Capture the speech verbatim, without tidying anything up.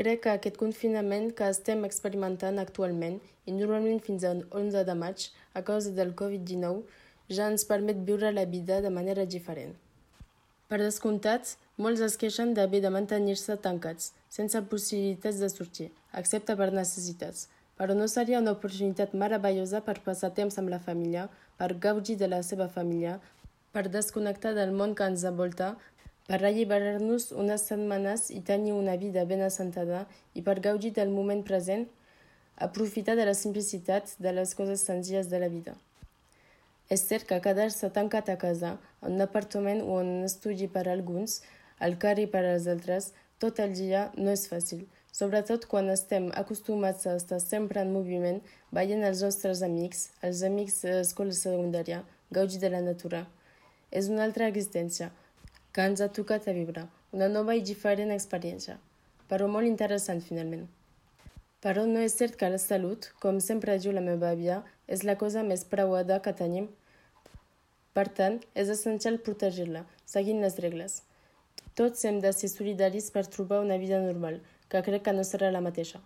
Crec que aquest confinament que estem experimentant actualment, i normalment fins al onze de maig, a causa del covid dinou, ja ens permet viure la vida de manera diferent. Per descomptat, molts es queixen d'haver de mantenir-se tancats, sense possibilitats de sortir, excepte per necessitats. Però no seria una oportunitat meravellosa per passar temps amb la família, per gaudir de la seva família, per desconnectar del món que ens envolta, per alliberar-nos unes setmanes i tenir una vida ben assentada i per gaudir del moment present, aprofitar de la simplicitat de les coses senzilles de la vida. És cert que quedar-se tancat a casa, en un apartament o en un estudi per a alguns, al carrer per als altres, tot el dia no és fàcil, sobretot quan estem acostumats a estar sempre en moviment, veient els nostres amics, els amics de l'escola secundària, gaudir de la natura. És una altra existència que ens ha tocat a viure, una nova i diferent experiència, però molt interessant finalment. Però no és cert que la salut, com sempre diu la meva àvia, és la cosa més preuada que tenim. Per tant, és essencial protegir-la, seguint les regles. Tots hem de ser solidaris per trobar una vida normal, que crec que no serà la mateixa.